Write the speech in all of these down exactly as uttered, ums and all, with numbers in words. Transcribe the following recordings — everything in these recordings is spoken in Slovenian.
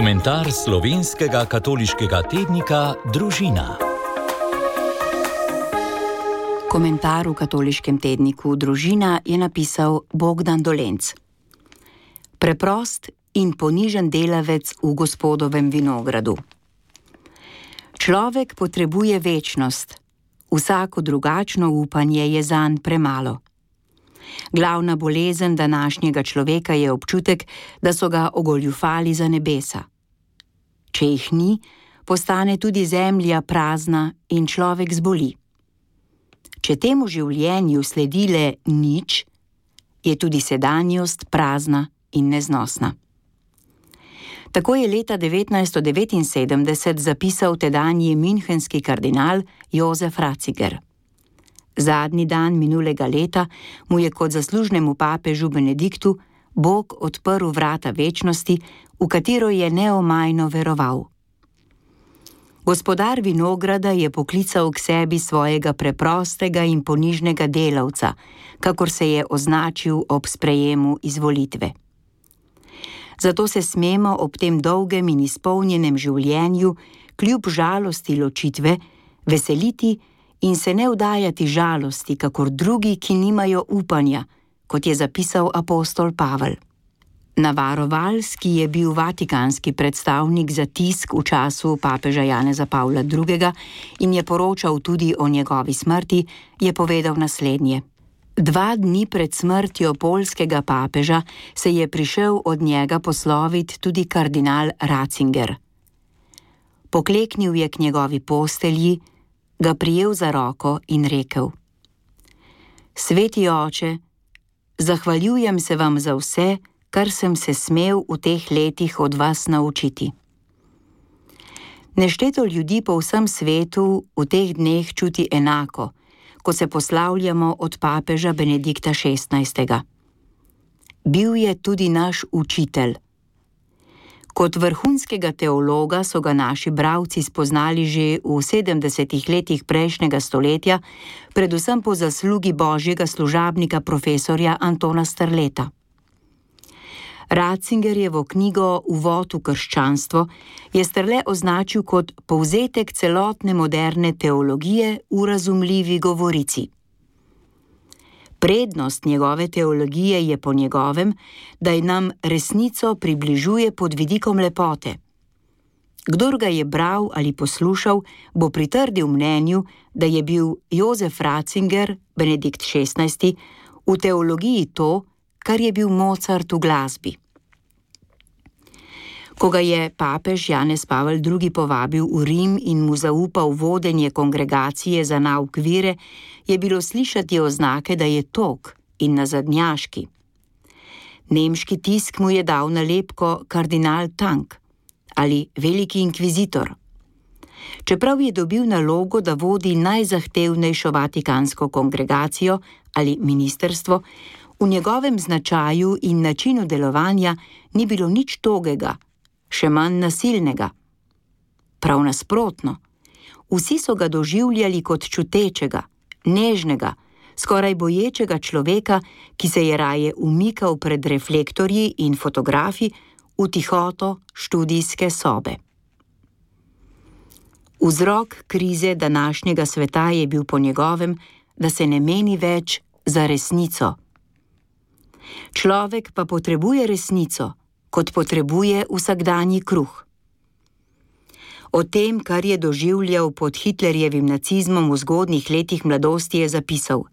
Komentar slovenskega katoliškega tednika Družina. Komentar v katoliškem tedniku Družina je napisal Bogdan Dolenc. Preprost in ponižen delavec v Gospodovem vinogradu. Človek potrebuje večnost, vsako drugačno upanje je zanj premalo. Glavna bolezen današnjega človeka je občutek, da so ga ogoljufali za nebesa. Če jih ni, postane tudi zemlja prazna in človek zboli. Če temu življenju sledi le nič, je tudi sedanjost prazna in neznosna. Tako je leta devetnajststo devetinsedemdeset zapisal tedanji münchenski kardinal Josef Ratzinger. Zadnji dan minulega leta mu je kot zaslužnemu papežu Benediktu Bog odprl vrata večnosti, v katero je neomajno veroval. Gospodar vinograda je poklical k sebi svojega preprostega in ponižnega delavca, kakor se je označil ob sprejemu izvolitve. Zato se smemo ob tem dolgem in izpolnjenem življenju, kljub žalosti ločitve, veseliti in se ne vdajati žalosti, kakor drugi, ki nimajo upanja, kot je zapisal apostol Pavel. Navarovalc, ki je bil vatikanski predstavnik za tisk v času papeža Janeza Pavla drugega in je poročal tudi o njegovi smrti, je povedal naslednje. Dva dni pred smrtjo poljskega papeža se je prišel od njega poslovit tudi kardinal Ratzinger. Pokleknil je k njegovi postelji, ga prijel za roko in rekel: Sveti oče, zahvaljujem se vam za vse, kar sem se smel v teh letih od vas naučiti. Nešteto ljudi po vsem svetu v teh dneh čuti enako, ko se poslavljamo od papeža Benedikta šestnajstega. Bil je tudi naš učitelj. Kot vrhunskega teologa so ga naši bralci spoznali že v sedemdesetih letih prejšnjega stoletja, predvsem po zaslugi božjega služabnika profesorja Antona Strleta. Ratzingerjevo knjigo Uvod v krščanstvo je Strle označil kot povzetek celotne moderne teologije v razumljivi govorici. Prednost njegove teologije je po njegovem, da je nam resnico približuje pod vidikom lepote. Kdor ga je bral ali poslušal, bo pritrdil mnenju, da je bil Josef Ratzinger, Benedikt šestnajsti, v teologiji to, kar je bil Mozart v glasbi. Ko ga je papež Janez Pavel drugi povabil v Rim in mu zaupal vodenje kongregacije za nauk vire, je bilo slišati oznake, da je tog in nazadnjaški. Nemški tisk mu je dal nalepko kardinal Tank ali veliki inkvizitor. Čeprav je dobil nalogo, da vodi najzahtevnejšo vatikansko kongregacijo ali ministerstvo, v njegovem značaju in načinu delovanja ni bilo nič togega, še manj nasilnega. Prav nasprotno, vsi so ga doživljali kot čutečega, nežnega, skoraj boječega človeka, ki se je raje umikal pred reflektorji in fotografi v tihoto študijske sobe. Vzrok krize današnjega sveta je bil po njegovem, da se ne meni več za resnico. Človek pa potrebuje resnico, kot potrebuje vsakdanji kruh. O tem, kar je doživljal pod Hitlerjevim nacizmom v zgodnjih letih mladosti, je zapisal: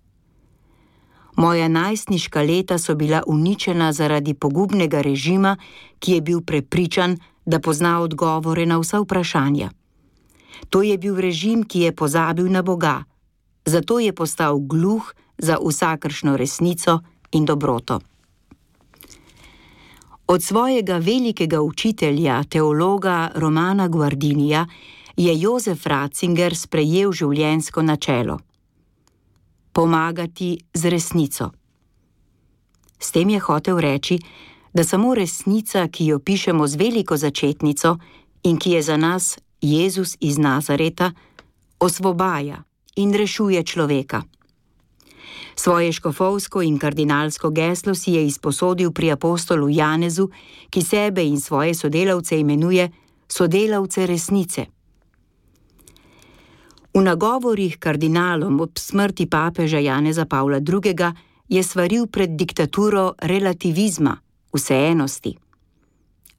Moja najstniška leta so bila uničena zaradi pogubnega režima, ki je bil prepričan, da pozna odgovore na vsa vprašanja. To je bil režim, ki je pozabil na Boga, zato je postal gluh za vsakršno resnico in dobroto. Od svojega velikega učitelja, teologa Romana Guardinija, je Josef Ratzinger sprejel življenjsko načelo: pomagati z resnico. S tem je hotel reči, da samo resnica, ki jo pišemo z veliko začetnico in ki je za nas Jezus iz Nazareta, osvobaja in rešuje človeka. Svoje škofovsko in kardinalsko geslo si je izposodil pri apostolu Janezu, ki sebe in svoje sodelavce imenuje sodelavce resnice. V nagovorih kardinalom ob smrti papeža Janeza Pavla drugega. Je svaril pred diktaturo relativizma, vseenosti.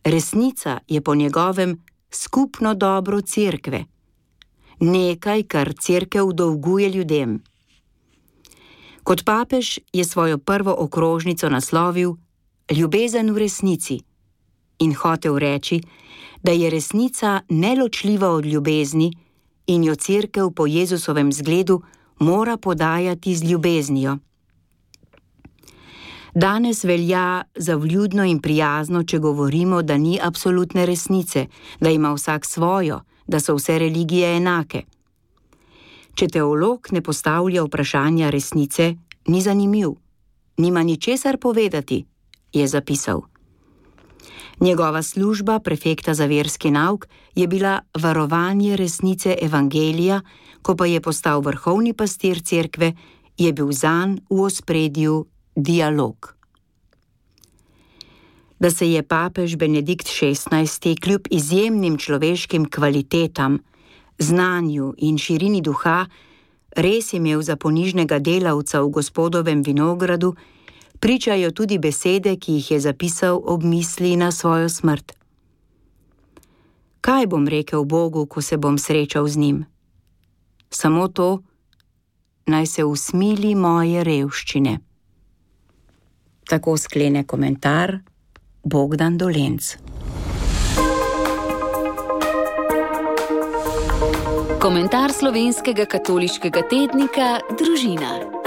Resnica je po njegovem skupno dobro cerkve, nekaj, kar cerkev dolguje ljudem. Kot papež je svojo prvo okrožnico naslovil Ljubezen v resnici in hotel reči, da je resnica neločljiva od ljubezni in jo cerkev po Jezusovem zgledu mora podajati z ljubeznijo. Danes velja za vljudno in prijazno, če govorimo, da ni absolutne resnice, da ima vsak svojo, da so vse religije enake. Če teolog ne postavlja vprašanja resnice, ni zanimiv, nima ničesar povedati, je zapisal. Njegova služba prefekta za verski nauk je bila varovanje resnice evangelija, ko pa je postal vrhovni pastir cerkve, je bil zanj v ospredju dialog. Da se je papež Benedikt šestnajsti kljub izjemnim človeškim kvalitetam, znanju in širini duha res imel za ponižnega delavca v Gospodovem vinogradu, pričajo tudi besede, ki jih je zapisal ob misli na svojo smrt. Kaj bom rekel Bogu, ko se bom srečal z njim? Samo to, naj se usmili moje revščine. Tako sklene komentar Bogdan Dolenc. Komentar slovenskega katoliškega tednika Družina.